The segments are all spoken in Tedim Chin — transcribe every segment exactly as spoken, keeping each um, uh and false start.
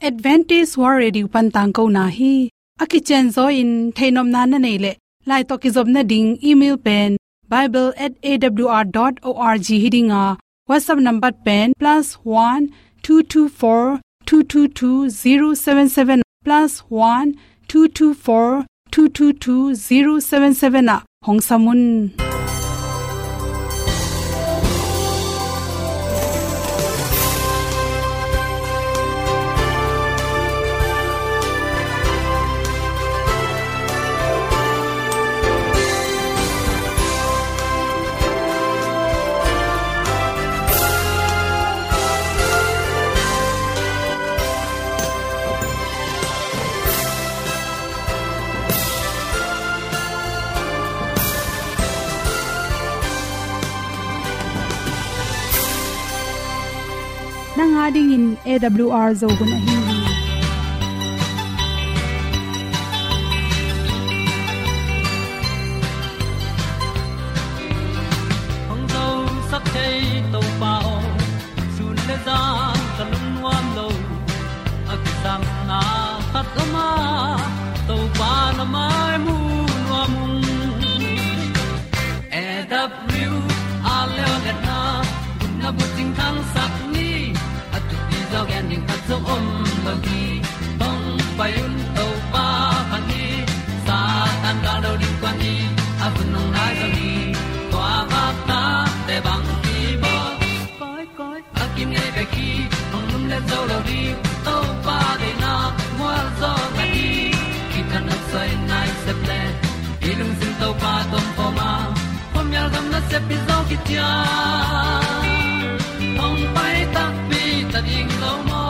Adventist World Radio pan tangkona hi. A kicianzaw in theihnopna na neih leh, lai tawh kizopna ding email pen bible at A W R dot org hi ding a, WhatsApp number pen plus one two two four two two two zero seven seven, plus one two two four two two two zero seven seven ah hong sam un. Nang a dingin A W R Zo hun ahi hi. Hong zosak thei Topa aw, sun le zan ka lungnuam lo. A kisapna khat om a, Topa na mai mu nuam ung. A W R Zo hun a bucing thangsak ni, a thupi zaw gen ding khat zong om lo hi. Hong pai un Topa pha ni, Satan gal do ding kua ni, a hun hong nai zaw hi. Tua bak ta te bang hi baw. Koi, koi, a kinei bek hi, hong lumlet zo lo ding, Topa deihna mual zaw na hi. Kitang a soi nai sep le, i lungsim Topa tawh om a, khuamial gam nasep hi zaw kician. Hong pai takpi ta ding lo maw.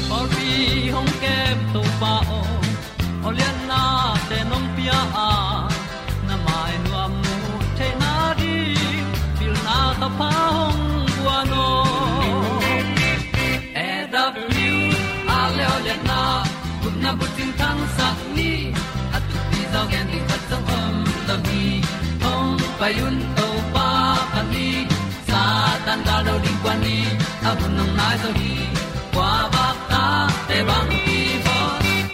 Pawlpi hong kem Topa aw, aw liannate nong pia a, na mai nuam mu theihna ding, pilna thapha hong guan aw. A W R Zo hun a bucing thangsak ni, a thupi zaw gen ding khat zong om lo hi. Hong pai un Topa pha ni, Satan gal do ding kua ni, a hun hong nai zaw hi. Kua bak ta te bang hi baw.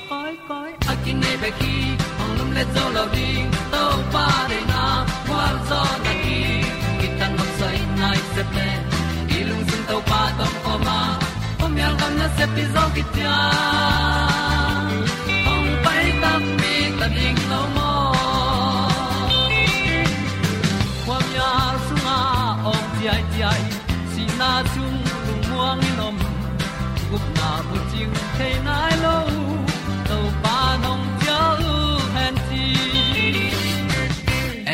Koi, koi, a kinei bek hi, hong lumlet zo lo ding, Topa deihna mual zaw na hi. Kitang a soi nai sep le, i lungsim Topa tawh om a, khuamial gam nasep hi zaw kician. Hong pai takpi ta ding lo maw. Khuamial sungah awng ciaiciai, sihna sung lungmuang in om, gupna bucing thei nai lo, Topa nong cial hen ci.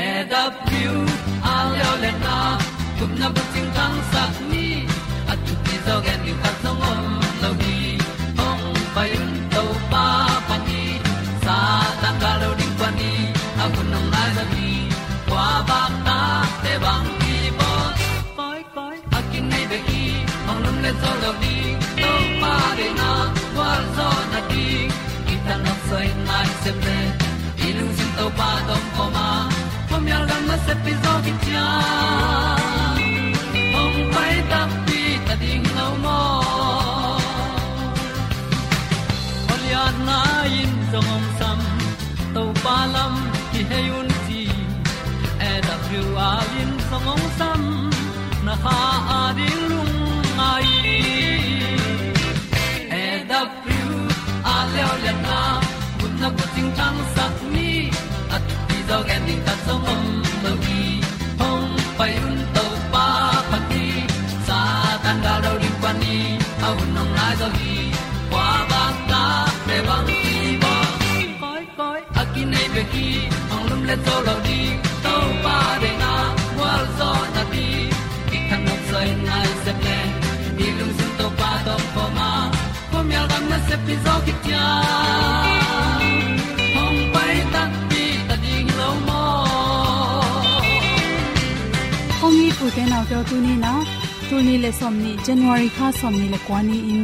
A W R Zo hun a gupna bucing thangsak ni, a thupi zaw gen ding khat zong om lo hi. Hong pai un Topa pha ni, Satan gal do ding kua ni, a hun hong nai zaw hi. Kua bak ta te bang hi baw. Koi, koi, a kinei bek hi, hong lumlet zo lo ding, Topa deihna mual zaw na hi. Kitang a soi nai sep le, i lungsim Topa tawh om a, khuamial gam nasep hi zaw kician. Hong pai takpi ta ding lo maw. Aw lianna in zong hong sam, Topa lam kihei un ci. A W R in zong hong sam, na kha a ding lungngai. A W R Zo hun a gupna bucing thangsak ni, a thupi zaw gen ding khat zong om lo hi. Hong pai un Topa pha ni, Satan gal do ding kua ni, a hun hong nai zaw hi. Kua bak ta te bang hi baw. Koi, koi, a kinei bek hi, hong lumlet zo lo ding, Topa deihna mual zaw na hi. Kitang a soi nai sep le, i lungsim Topa tawh om a, khuamial gam nasep hi zaw kician. Hong pai takpi ta ding lo maw. Kong it ute naute aw, tuni in ah, tul nih le sawmnih, January kha sawmnih le kua ni-in,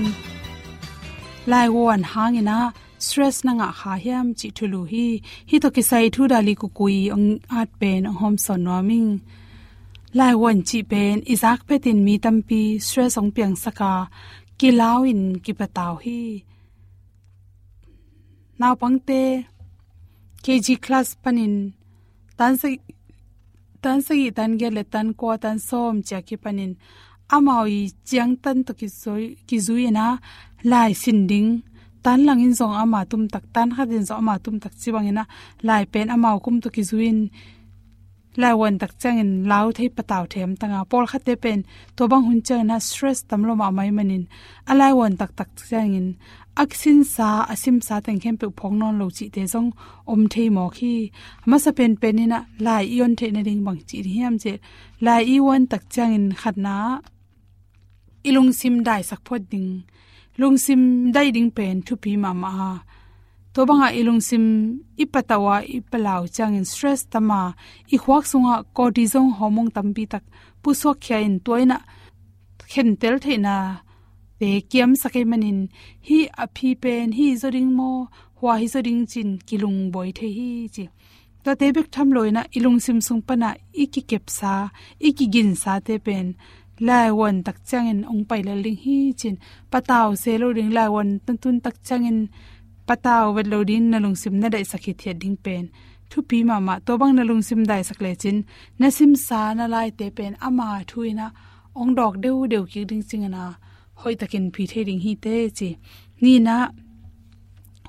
lai guan hangin ah stress na ngah kha hiam cih thulu hi. Hih tawh kisai thu Dali Kukui hong at pen hong hawmsawn nuam ing. Laivuan cih pen i zak phetin mi tampi stress hong piangsak a, kilau in kipatau hi. Naupangte K G class panin tan sa-, tan sagih, tan giat le tan kua, tan sawm ciang kipanin amau i ciangtan tawh kizui, kizui-in a, lai sin ding, tan langin zong ama tumtak, tan khatin zong ama tumtak ci bangin a, lai pen amau kum tawh kizui-in laivuan tak ciangin lau thei, patau thei hamtang a, pawlkhatte pen tua bang hun ciangin a stress tam lo mahmah ahih manin a laivuan taktak ciangin a kisinsa, a simsa teng khempeuh phawk nawn lo cihte zong om thei mawk hi. A masa penpen in a lai i on theih nading bang ci ding hiam cih leh, lai i vuan tak ciangin khatna ah i lungsim daisak phot ding, lungsim daih ding pen thupi mahmah a. Tua bangah i lungsim i patau a, i palau ciangin stress tam a, i khuak sungah cortisol hormone tampi tak pusuak khia in tua in a khentel theihnate kiamsak ahih manin, hih a phi pen hih zaw ding maw, hua hi zaw ding ci-in kilungbuai thei hi ci. Tuate bek tham lo in a i lungsim sung pan a i kikepsa, i kiginsate pen laivuan tak ciangin hong pai lel ding hi ci-in, patau se lo ding, laivuan na tun tak ciangin patau vet lo ding, na lungsim na daihsak hithiat ding pen thupi mahmah. Tua bang na lungsim daihsak lecin na simsa, na laite pen ama thu in a hong dawk deudeu kik ding ci-in a, hoihtakin phi thei ding hi teh ci. Nihna,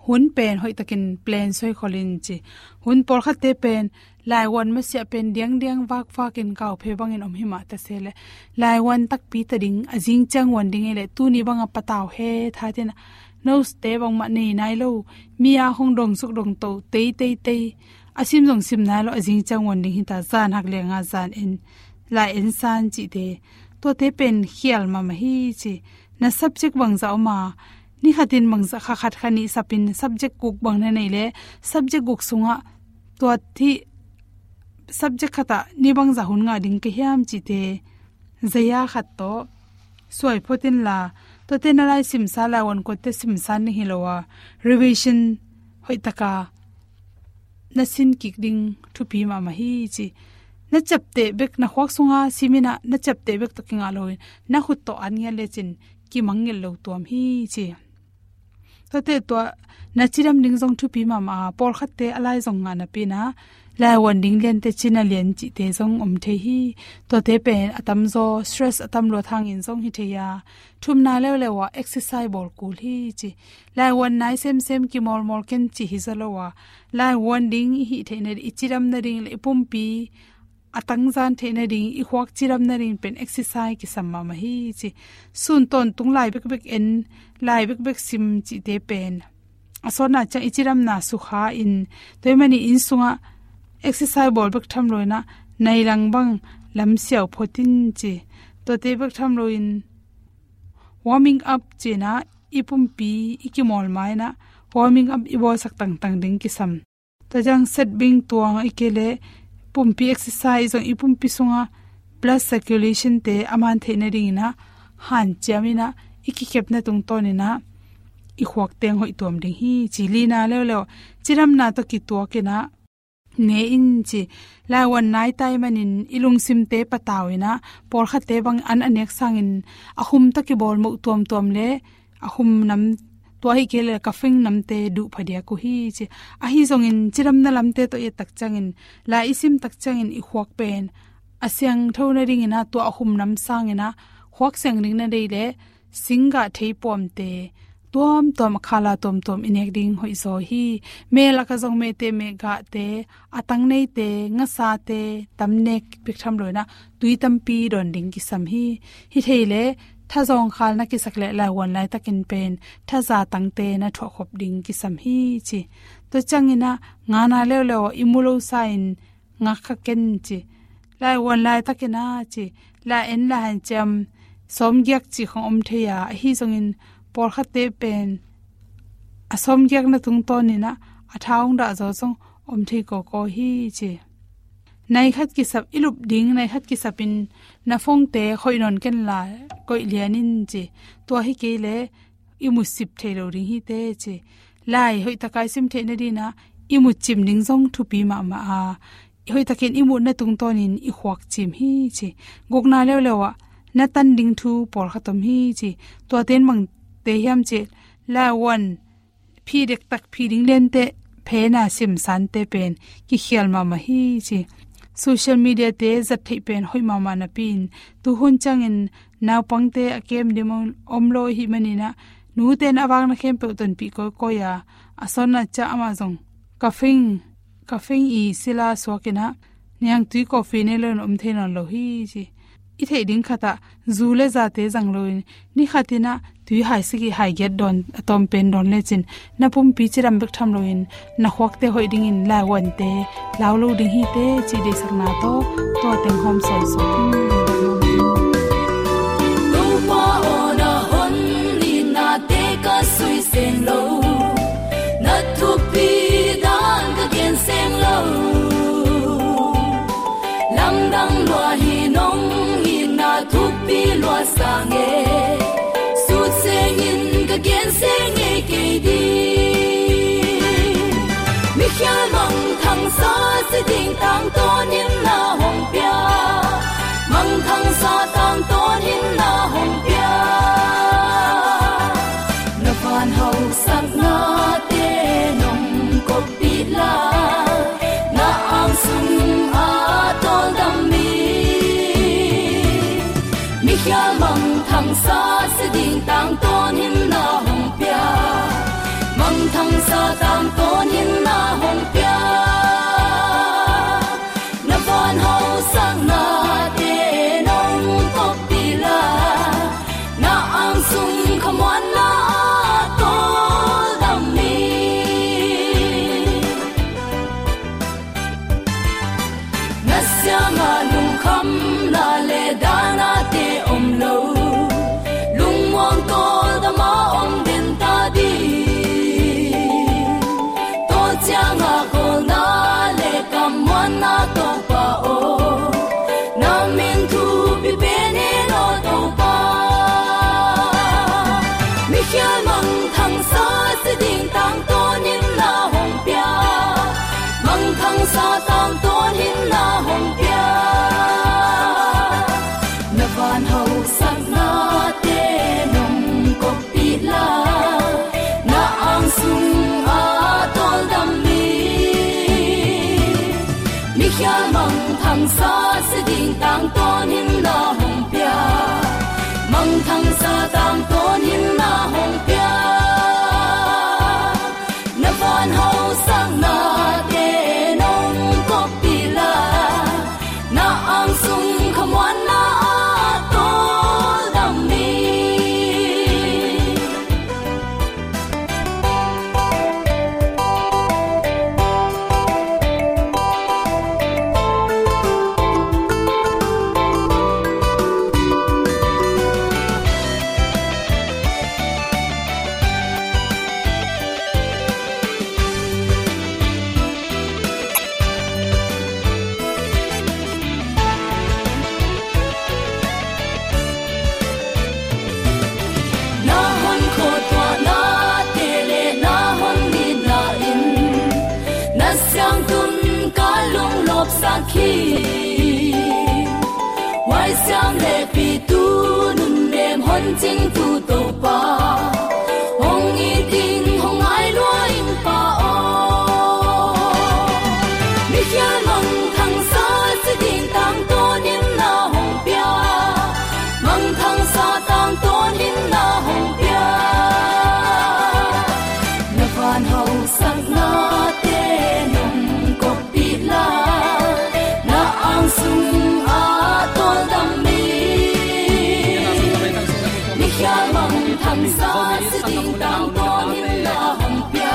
hun pen hoihtakin plan suaikhol in ci. Hun pawlkhatte pen laivuan masiah pen diangdiang vakvakin kauphe bangin om hi mah ta se leh, laivuan takpi ta ding, a zing ciang vuan ding hi leh, tuni bangah patau hethat in a, notes-te bangmah nei nai lo, mi a hong dongsuk dongto teiteitei, a sim zong sim nai lo, a zing ciang vuan ding hi ta, zan hak liang a zan en, lai en san cihte, tuate pen khial mahmah hi ci. Na subject bangzah om a, ni khatin bangzah, kha khat kha nih sapin subject guk bang na nei leh, subject guk sungah tua hih subject khatah ni bangzah hun ngah ding ka hiam cihte, zaya khat tawh suai phot inla, tuate na lai simsa, laivuan kuate simsa ning hi lo a, revision hoihtaka na sin kik ding thupi mahmah hi ci. Na ciapteh bek, na khuak sunga sim in a, na ciapteh bek tawh kingah loin, na khut tawh an ngiat lecin kimang ngiat lo tuam hi ci. Tuate tua na cidam ding zong thupi mahmah a, pawlkhatte a lai zong ngah napi in a, laivuan ding liante cina lian cihte zong om thei hi. Tuate pen a tamzaw stress a tam luat hangin zong hi thei a, thumna leuleu ah exercise bawl kul hi ci. Laivuan nai semsem, kimawlmawl ken cih hi zaw lo a, laivuan ding i hih theih nading, i cidam nading le i pumpi a tangzan theih nading, i khuak cidam nading pen exercise kisam mahmah hi ci. Sun tawntung lai bekbek en, lai bekbek sim cihte pen a sawtna ciang i cidamna sukha in, tua ahih manin inn sungah exercise bawl bek tham lo in a, nai lang bang lamsiau phot in ci. Tuate bek tham loin warming up ci-in a, i pumpi i kimawl ma-in a, warming up i bawlsak tangtang ding kisam. Tua ciang set bing tuang, ahih kei leh pumpi exercise zong i pumpi sungah blood circulation-te a man theih nadingin a, hanciam in a, i kikepna tungtawn in a, i khuak teng hoih tuam ding hi ci. Lina leuleu, cidamna tawh kituak in a, ne in ci. Laivuan nai ta ahih manin i lungsimte patau in a, pawlkhatte bang an a nek sangin a khum tawh kibawl moh tuamtuam le a khum nam, tua ahih kei leh caffeine namte duh phadiak uh hi ci. Ahi zongin cidamna lamte tawh i et tak ciangin, lai i sim tak ciangin i khuak pen a siangtho nadingin a, tua a khum nam sangin a khuak siang ding na deih leh, singgah theipuamte tuamtuam, a khala tuamtuam i nek ding hoihzaw hi. Mel lakah zong mehteh mehgahte, a tang neite, ngasate tam nek bek tham lo in a, tui tampi dawn ding kisam hi. Hi thei leh thazawng khal na kisak leh laivuan laitakin pen thaza tangte na thuahkhop ding kisam hi ci. Tua ciangin a, ngana leuleu i mu lo sa-in ngak kha ken ci. Laivuan laitakin a ci, lai en, lai hanciam sawmgiak ci khong om thei a, ahi zongin pawlkhatte pen a sawmgiakna tungtawn in a, a tha hong dah zaw zong om thei kawkaw hi ci. Nai khat kisap, i lup ding nai khat kisapin na phone-te khoih nawn ken la, koih lian in ci. Tua hi kei leh i mutsip thei lo ding hi teh ci. Lai hoihtaka i sim theih nadingin a, i mutcim ding zong thupi mahmah a, hoihtakin i muhna tungtawnin i khuak cim hi ci. Gukna leuleu ah na tan ding thu pawlkhat om hi ci. Tuate in bangte hiam cih leh, lai a guan phi dektak, phi ding liante, phena simsante pen kikhial mahmah hi ci. Social media-te zat theih pen hoih mahmah napi-in, tuhun ciangin naupangte a kem dim om lo ahih manin ah, nute'n a vakna khempeuh tonpih kawikawi a, a sawt a ciah amah zong, "Ka fing, ka fing i sila suak in ah, niangtui coffee nei lo in om thei nawn lo hi," ci. I theih ding khat ah zu le zate zang loin, ni khat in ah tui hai sagih hai giat dawn, a tawm pen dawn lecin, na pumpi cidam bek tham loin, na khuakte hoih dingin lai a guante lau lo ding hi teh ci deihsakna tawh, tua teng hawm sawnsawn. Topa aw, na hon itnate ka sui seng lo, na thupi dan ka gen seng lo. Lamdang lua hi, nong itna thupi lua sang e, sut sengin ka gen seng ngei kei ding. Mikhial mangthangsa si ding tangtawnin na hong pia, mangthangsa tangtawnin na hong pia. Na van hausaknate nong koppih la, na ang sung a tawldam mi. Mikhial mangthangsa si ding tangtawnin na hong pia, mangthangsa tangtawnin na hong pia. Na van hausaknate nong koppih la, na ang sung khamuanna a tawldam mi. Na siangah lungkhamna le danate om lo, lungmuang tawldam a om den ta ding. Tua ciangah kawlna le kammuanna Topa aw, na min thupi pen in aw Topa. Mikhial mangthangsa si ding tangtawnin na hong pia, mangthangsa tangtawnin na hong pia. Na van hausaknate nong koppih la, na ang sung a tawldam mi. Mikhial mangthangsa si ding tangtawnin na hong pia, mangthangsa tangtawnin na hong pia. Na van hausaknate nong koppih la, na ang sung khamuanna a tawldam mi. Na hon khuatuahnate le na hon nitna in na siangtun ka lunglawpsak hi. Huaisiam le pitu nunnem hon cingtu Topa, hong it in hong ngai lua ing Pa aw. Mikhial mangthangsa si ding tangtawnin na hong pia, mangthangsa tangtawnin na hong pia. Na van hausaknate nong kop pih la, na ang sung a tawldam mi. Mikhial mangthangsa si ding tangtawnin na hong pia,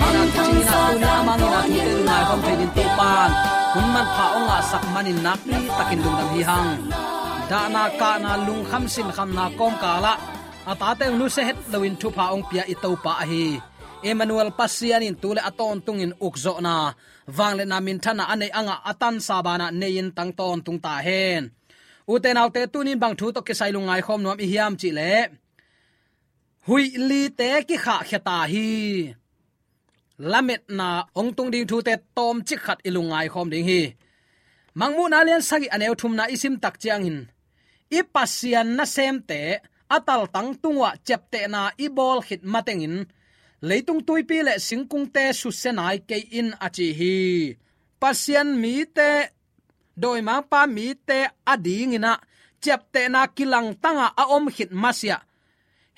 mangthangsa tangtawnin na hong pia. Hun manpha hong ngahsak manin nakpi takin lungdam hi hang. Dahna kahna lungkham sinkhamna kawmkalah a tate hong nusia het loin thupha hong pia i Topa ahi Emmanuel Pasian in tu le a tawntungin ukzawhna, vangliatna, minthanna a neih a ngah a tansa banah nei-in tang tawntung ta hen. Ute naute, tunin bang thu tawh kisai lungngai khawm nuam i hiam cih leh, huih lite kikhahkhia ta hi. lametna hong tung ding thute tawmcik khat i lungngai khawm ding hi. Mangmuhna lian sagih a neu thumna i sim tak ciangin, i Pasian nasemte a taltang tung uah ciaptehna i bawl khit matengin leitung tuipi le singkungte susia nai kei in a ci hi. Pasian mite, dawimangpa mite a dingin ah ciaptehna kilangtang a a om khit masiah,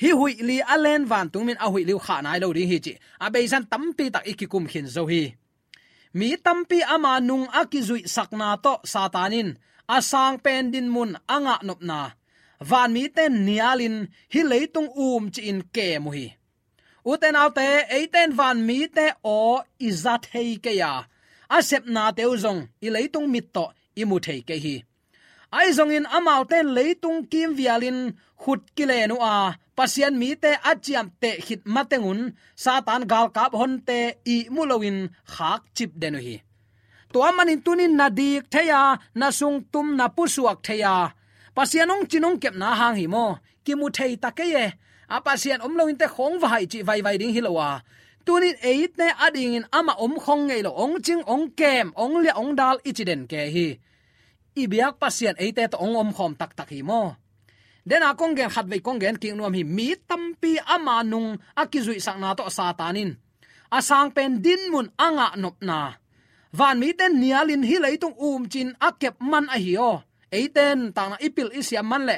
hih huih li a len vantung min a huih li uh khah nai lo ding hi cih a beizan tampi tak i kikum khin zo hi. Mi tampi ama nung a kizuihsakna tawh Satan in a sang pen dinmun a ngahnopna, vanmite nialin hih leitung um ci-in kem uh hi. Ute naute, eite in vanmite aw i za thei kei a, a sepnate uh zong i leitung mit tawh i mu thei kei hi. Ahi zongin amaute in leitung kimvialin khut kilen uh a, Pasian mite a ciapteh khit matengun Satan galkap honte ihmu loin khakcip den uh hi. Tua manin tunin na dik thei a, na sungtum na pusuak thei a, Pasian hong cin hong kepna hang hi maw, kimu thei ta kei e. A Pasian om loin te khawng va haih cih vaivai ding hi lo a, tunin eite a dingin amah om khawng ngei lo, hong cing, hong kem, hong liah, hong dal i ci den kei hi. I biak Pasian eite tawh hong omkhawm taktak hi maw? Dena kong gen khatvei kong gen kik nuam hi. Mi tampi ama nung a kizuihsakna tawh Satan in a sang pen dinmun a ngahnopna, vanmite nialin hih leitung um ci-in a kep man ahi aw. Eite in takna i pil i siam man le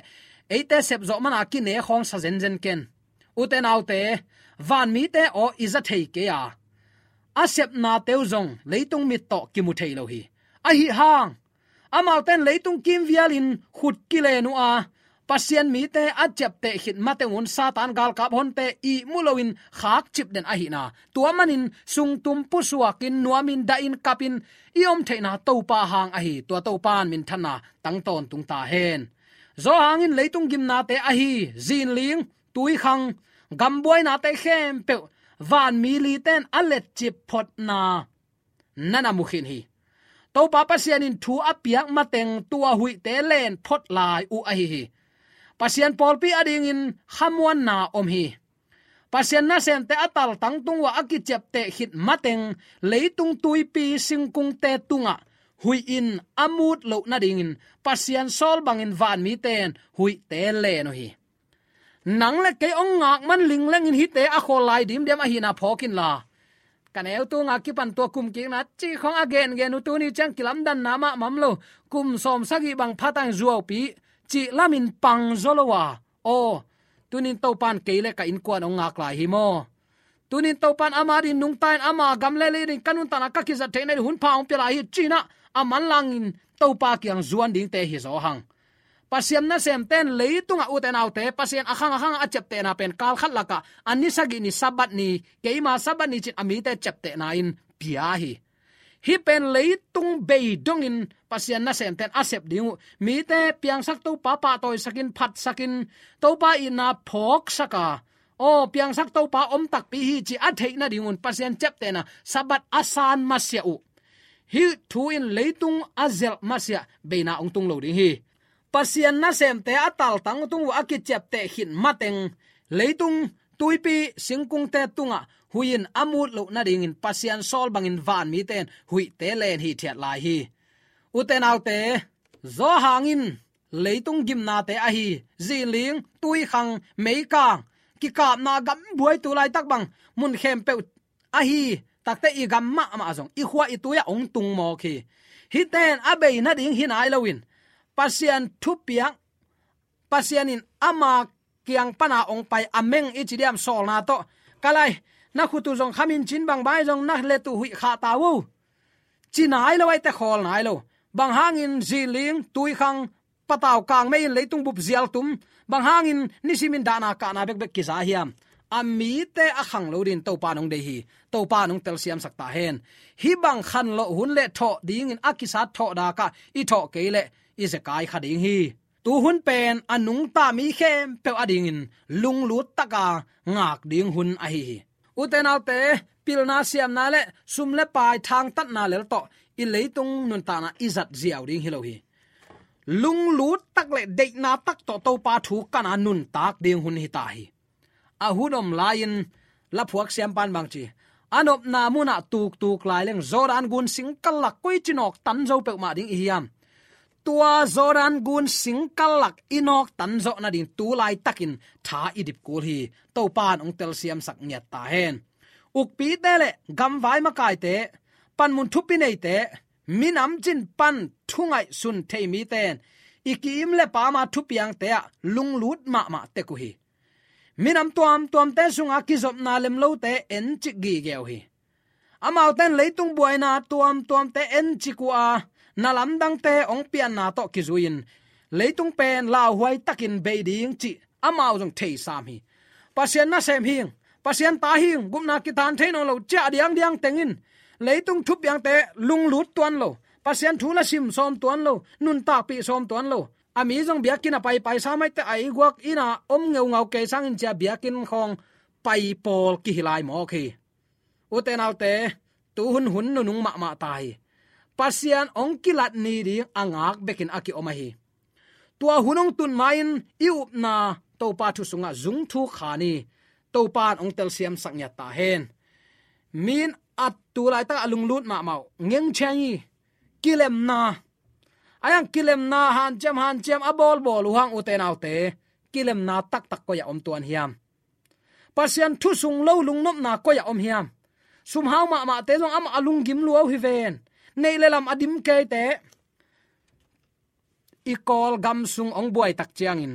eite sepzawh man a kine khawng sa zenzen ken. Ute naute, vanmite aw i za thei kei a, a sepnate uh zong leitung mit tawh kimu thei lo hi. Ahi hang amaute in leitung kimvialin khut kilen uh a, Pasian mite a ciapteh khit matengun Satan galkap honte ihmu loin khakcip den ahihna, tua manin sungtum pusuakin, nuamin, dahin, kapin i om theihna Topa hang ahi. Tua Topa in minthanna tang tawntung ta hen. Zawhang in leitung gimnate ahi zinling, tuikhang, gambuainate khempeuh vanmi lite in a letcip photna na na mu khin hi. Topa Pasian in thu a piak mateng tua huihte len phot lai uh ahi hi. Pasian pawlpi a dingin khamuanna om hi. Pasian nasemte a taltang tung uah a kiciapteh khit mateng leitung tuipi singkungte tungah huih in a mut loh nadingin Pasian sawl bangin vanmite in huihte len uh hi. Nang le kei hong ngak man linglengin hihte a khawl lai dimdiam ahihna phawk inla, ka neu tunga kipan tua kum kikna cih khawng a gengen uh tuni ciang kilamdanna mahmah om lo. Kum sawm sagih bang phatang zuaupi cih lamin pang zaw lo a, aw, tunin Topa in kei le ka innkuan hong ngak lai hi maw? Tunin Topa in ama dingin nungta in ama gam le lei dingin ka nuntakna ka kizat theihna ding hun pha hong pia lai hi ci-in ah a manlangin Topa kiang zuan dingte hi zaw hang. Pasian nasemte in leitungah, ute naute, Pasian a khang a khang a ciaptehna pen kal khat lakah a ni sagih ni Sabbath ni, keima Sabbath ni ci-in a mite ciaptehna in pia hi. Hih pen leitung bei dongin Pasian nasemte in a sep ding uh. Mite piangsak Topa pahtawisakin, phatsakin, Topa itna phawksak a, aw, piangsak Topa om takpi hi ci a theih nadingun Pasian ciaptehna Sabbath a san masiah uh. Hih thu in leitung a zelh masiah beina hong tung lo ding hi. Pasian nasemte a taltang tung uh a kiciapteh khit mateng leitung tuipi singkungte tungah huih in a mut loh nadingin Pasian sawl bangin vanmite in huihte len hithiat lai hi. Ute naute, Zawhang in leitung gimnate ahi zinling, tuikhang, meikang, kikapna gambuai tu laitak bang mun khempeuh ahi takte i gam mahmah zong i khua i tui ah hong tung mawk hi. Hihte in a bei nading hi nai loin Pasian thupiak, Pasian in ama kiang pana hong pai a meng i ci diam sawlna tawh, ka lai, na khut uh zong khamin cin bang bai zong na let uh huih khah ta uh, ci nai lo, aite khawl nai lo. Bang hangin zinling, tuikhang, patau kang mei in leitung bup zial tum, bang hangin nisimin dahna kahna bekbek kiza hiam? A mite a khang lo dingin Topa in hong deih hi. Topa in hong telsiamsak ta hen. Hih bang khanlawh hun le thawh dingin a kisat thawh dakah i thawh kei leh i zekai kha ding hi. Tuhun pen a nungta mi khempeuh a dingin lunglut taka ngak ding hun ahi hi. Ute naute, pilna siamna le sum le pai thangtatna lel tawh i leitung nuntakna i zat ziau ding hi lo hi. Lunglut tak le deihna tak tawh Topa thu kana nuntak ding hun hi ta hi. A hun om lai-in laphuak siampan bang ci, a nopna munah tuktuk lai leng Jordan gun singkal lak koici nawktan zo peuhmah ding i hiam? Tua Jordan gun singkal lak i nawktan zawh nading tu laitakin tha i dip kul hi. Topa in hong telsiamsak ngiat ta hen. Ukpite le gamvai makaite, panmun thupi neite, minam cin pan thu ngaihsun thei mite in i ki-im le pama thupiangte ah lunglut mahmah tek uh hi. Minam tuamtuamte sunga kizopna lemlote encik gige uh hi. Amaute in leitung buaina tuamtuamte encik uh a, na lamdangte hong pianna tawh kizui-in leitung pen lauhuai takin bei ding cih amau zong theisam hi. Pasian nasem hing, Pasian ta hing, gupna kitan thei nawn lo, ciah diangdiang tengin leitung thupiangte lunglut tuan lo, Pasian thu la sim sawm tuan lo, nuntakpih sawm tuan lo. A mi zong biakinn a paipai sa maite a i guak inn a om ngeungau kei sangin cia biakinn khawng pai pawl kihi lai mawk hi. Ute naute, tu hun hun nunung mahmah ta hi. Pasian hong kilat ni ding a ngak bekin a kiom ahi. Tua hun hong tun ma-in i upna Topa thu sungah zung thuk kha ni. Topa in hong telsiamsak ngiat ta hen. Min a tu laitak a lunglut mahmah uh ngengcheng hi. Kilemna, a yang kilemna hanciam hanciam a bawlbawl uh hang, ute naute, kilemna taktak koi a om tuan hiam? Pasian thu sung lo lungnopna koi a om hiam? Sumhau mahmahte zong amah a lunggim lua uh hi ven. Neih le lam a dim keite, i Kawlgam sung hong buai tak ciangin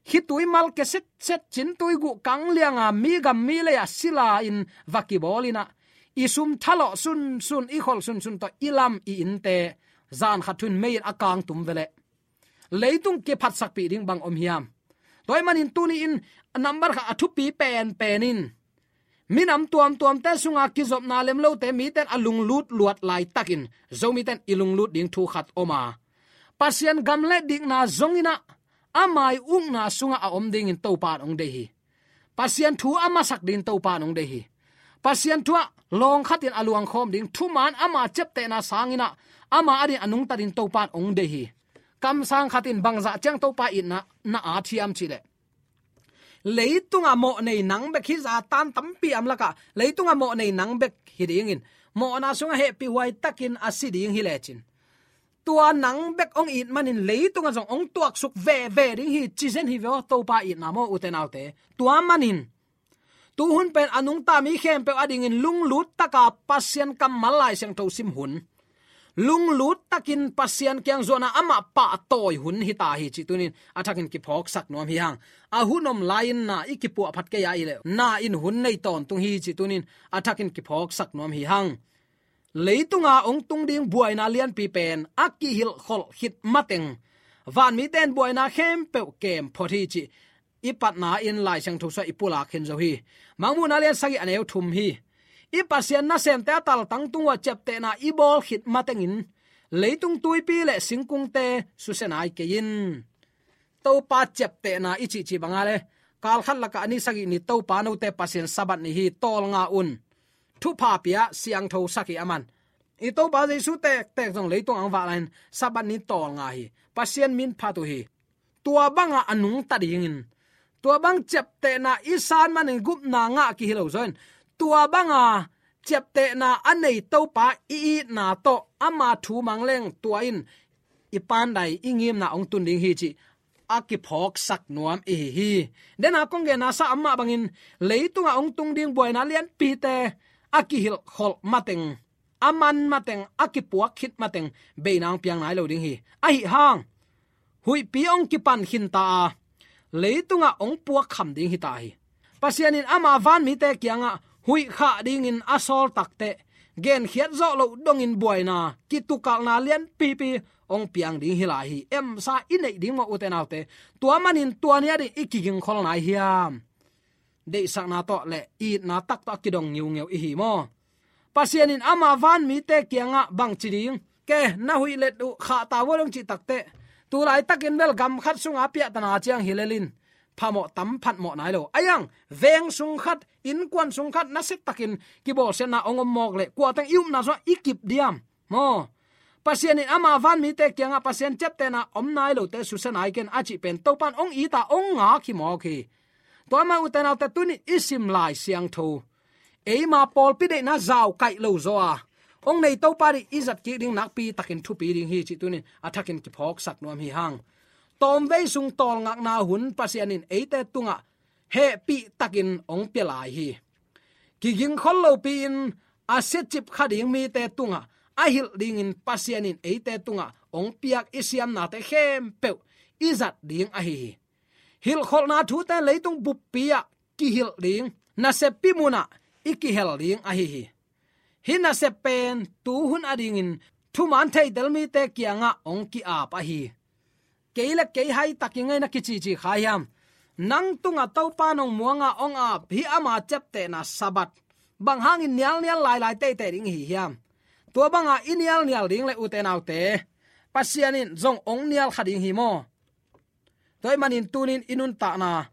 khitui mal ke setset, cintui guh kang lianga mi gam mi lei-ah sila-in va kibawl in ah, i sum thalawh sunsun, i kholh sunsun tawh i lam i innte zan khat thu-in mei-in a kangtum veleh leitung kiphatsakpih ding bang om hiam? Tua ahih manin tuni-in nambat khat a thupi penpen in minam tuamtuamte sunga kizopna lemlote mite in a lunglut luat laitakin Zomite in i lunglut ding thu khat om a, Pasian gam le dikna zong in ah ama i ukna sungah a om dingin Topa in hong deih hi. Pasian thu a masak dingin Topa in hong deih hi. Pasian thu ah lawng khatin a luangkhawm ding, thuman ama ciaptehna sangin ah ama adingin a nungta dingin Topa in hong deih hi. Kamsang khatin bangzah ciang Topa itna na at hiam cih leh, leitungah mawh nei nang bek hi zatan tampi a om lakah, leitungah mawh nei nang bek hi dingin, mawhna sungah hehpihhuai takin a si ding hi lecin, tua nang bek hong it manin leitungah zong hong tuaksuk veve ding hi, ci zen hi ve aw, Topa itna maw, ute naute. Tua manin tu hun pen a nungta mi khempeuh adingin lunglut taka Pasian kammal Lai Siangtho sim hun, lunglut takin Pasian kiang zuan a amah pahtawi hun hi ta hi cih tuni-in a thakin kiphawksak nuam hi hang. A hun om lai-in na i kipuahphat kei a hih leh, na in hun nei tawntung hi cih tuni-in a thakin kiphawksak nuam hi hang. Leitunga hong tung ding buaina lianpi pen a kihilhkholh khit mateng vanmite in buaina khempeuh kem phot hi cih i patna-in Lai Siangtho sungah i pulak khin zo hi. Mangmuhna lian sagih a neu thum hi. I Pasian nasemte a taltang tungah ciaptehna i bawl khit matengin leitung tuipi le singkungte susia nai kei in. Topa ciaptehna i cihcih banga le, kalkhat lakah a ni sagih ni Topa note Pasian Sabbath ni hi, tawlnga un. Thupha pia, siangthosak hi a man. I Topa Jesu tektek zong leitung ang vak lai-in Sabbath ni tawlnga hi. Pasian min phat uh hi. Tua banga a nungta dingin, tua bang ciaptehna i san manin gupna ngah kihi lo zaw in, tua banga ciaptehna a nei Topa i itna tawh ama thu mang leng tua in i pandai, i ngimna hong tun ding hi cih a kiphawksak nuam i hi hi. Dena kong genna sa amah bangin leitungah hong tung ding buaina lianpite a kihilhkholh mateng, a man mateng, a kipuak khit mateng beina hong piang nai lo ding hi. Ahi hang huihpi hong kipan khinta a, leitungah hong puakkham ding hi ta hi. Pasian in ama vanmite kiangah huih khah dingin a sawl takteh, genkhiat zawh loh dongin buaina, kitukalna lianpipi hong piang ding hi lai hi. Emsa i neih ding maw, ute naute? Tua manin tua ni ading i kigingkhol nai hiam? Deihsakna tawh le itna tak tawh a kidong ngiungeu i hi maw? Pasian in ama vanmite kiangah bangci ding, ke, na huih let uh khah ta vua dong cih takteh, tu laitakin bel gam khat sunga piahtana ciang hi lelin phamawh tam phatmawh nai lo. A yang veng sung khat, innkuan sung khat nasia takin kibawlsiatna hong om mawk leh, kuateng i upna sungah i kip diam maw? Pasian in ama vanmite kiangah Pasian ciaptehna om nai lote susia nai ken a cih pen Topa in hong it a, hong ngak hi mawk hi. Tua mah, ute naute, tuni i sim Lai Siangtho, eima pawlpi deihna zau kaih lo zaw a, hong nei Topa ding i zat kik ding nakpi takin thupi ding hi cih tuni-in a thakin kiphawksak nuam hi hang. Tawmvei sung tawlngakna hun Pasian in eite tungah hehpih takin hong pia lai hi. Kigingkhol lopi-in a siacip kha ding mite tungah a hilh dingin Pasian in eite tungah hong piak i siamnate khempeuh i zat ding ahi hi. Hilhkholhna thute leitung buppi-ah kihilh ding, naseppi munah i kihel ding ahi hi. Hih nasep pen tuhun adingin thuman theitel mite kiangah hong ki-ap ahi. Kei le kei haitak i ngaihna kicici kha hiam? Nang tungah Topa nong muanga hong ap hih ama ciaptehna Sabbath bang hangin nialnial lailai teitei ding ihi hiam? Tua banga i nialnial ding le ute naute, Pasian in zong hong nial kha ding hi maw? Tua ahih manin tuni-in i nuntakna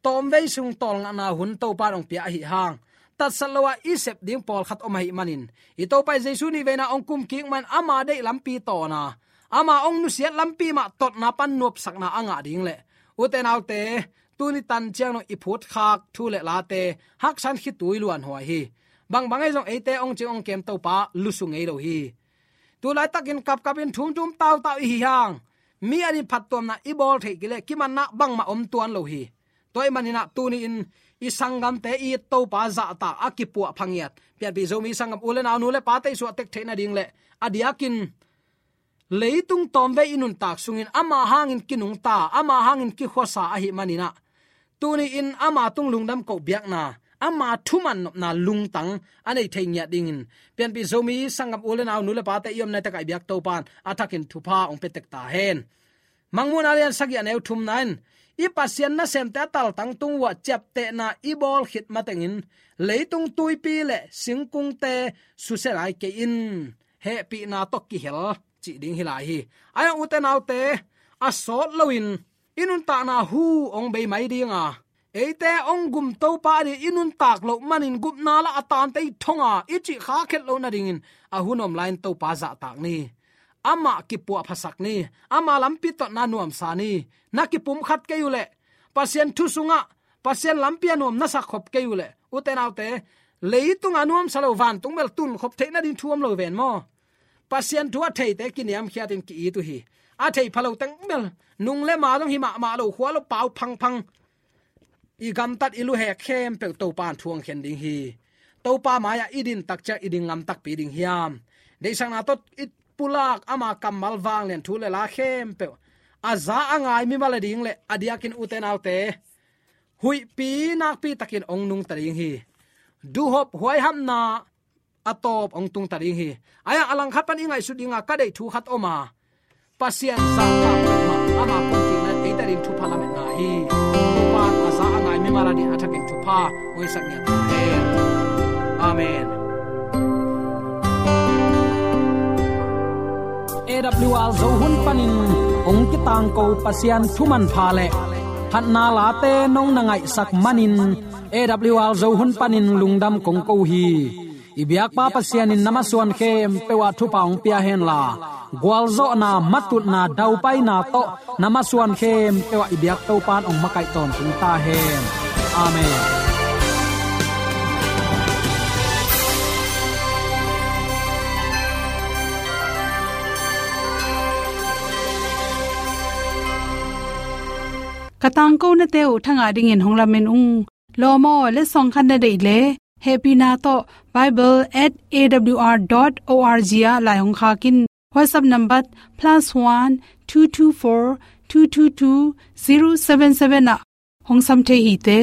tawmvei sung tawlngakna hun Topa in hong pia ahih hang, tatsat lo-a i sep ding pawlkhat om ahih manin, i Topa Jesu nihveina hong kum kik man ama deih lampi tawna, ama hong nusiat lampi mah totna pan nuamsakna a ngah ding le ute naute, tuni tan ciang dong i phutkhak thu le late haksan khitui luanhuai hi. Bangbang ahi zong eite hong cing hong kem Topa lusu ngei lo hi. Tu laitakin kapkapin thumthum tautau ihi hang, mi adingin phattuamna i bawl theih kei leh kimanna bangmah om tuan lo hi. Tua ahih manin ah tuni-in i sanggamte i Topa zahtak a kipuah phangiat Pianpih Zomi sanggam u le nau, nu le pate i suahtek theih nading le a diakin leitung tawmvei i nuntak sungin ama hangin kinungta, ama hangin kikhuasa ahih manin ah, tuni-in ama tung lungdam koh biakna, ama thuman nopna lungtang a nei thei ngiat dingin Pianpih Zomi sanggam u le nau, nu le pate i omna takah i biak Topa in a thakin thupha hong pia tek ta hen. Mangmuhna lian sagih, a neu thumna in, i Pasian nasemte a taltang tung uah ciaptehna i bawl khit matengin leitung tuipi le singkungte susia nai kei in, hehpihna tawh kihel cih ding hi lai hi. Ahi hang ute naute, a sawt loin i nuntakna hu hong bei mai ding a, eite hong gum Topa ading i nuntak loh manin gupna lah a tante i thong a i cih kha khet loh nadingin a hun om lai-in Topa zahtak ni. Amah kipuahphasak ni. Ama lampi totna nuamsa ni. Na kipumkhat kei uh leh, Pasian thu sungah Pasian lampi a nuam na sakkhop kei uh leh, ute naute, leitung a nuamsa lo vantung bel tunkhop theih nading thu om lo ven maw? Pasian thu a theite kiniamkhiatin ki-it uh hi. A thei pha lo teng bel, nung le ma zong hi mahmah lo, khua lo pau phangphang, i gamtat i luhek khempeuh Topa in thu hong khen ding hi. Topa mai-ah i din tak ciang i ding ngam takpi ding hiam? Deihsakna tawh i pulak ama kammal vanglian thu le la khempeuh a za a ngai mimal ading le a diakin ute naute, huihpi nakpi takin hong nungta ding hi. Duhhop huaihapna a tawp hong tungta ding hi. Ahi hang a langkhat pan i ngaihsut dinga ka deih thu khat om a, Pasian zahtak mah ama kumkikna in eite ading thupha lametna hi. Topa in a za a ngai mimal ading a thakin thupha hong hisak ngiat ta hen. Amen. A W R Zo hun panin hong kitangko Pasian thu manpha le phatna late nong na ngaihsak manin A W R Zo hun panin lungdam kong ko hi. I biakpa Pasian in na masuan khempeuh ah thupha hong pia henla, gualzawhna, matutna, daupaina tawh na masuan khempeuh ah i biak Topa in hong makaih tawntung ta hen. Amen. Ka tangkonate uh thangah dingin hong lamen ung. Lawm aw, letsong khat na deih leh, hehpihna tawh bible at A W R dot O R G ah lai hong khak in. WhatsApp number plus one two two four two two two zero seven seven ah hong sam thei hi te.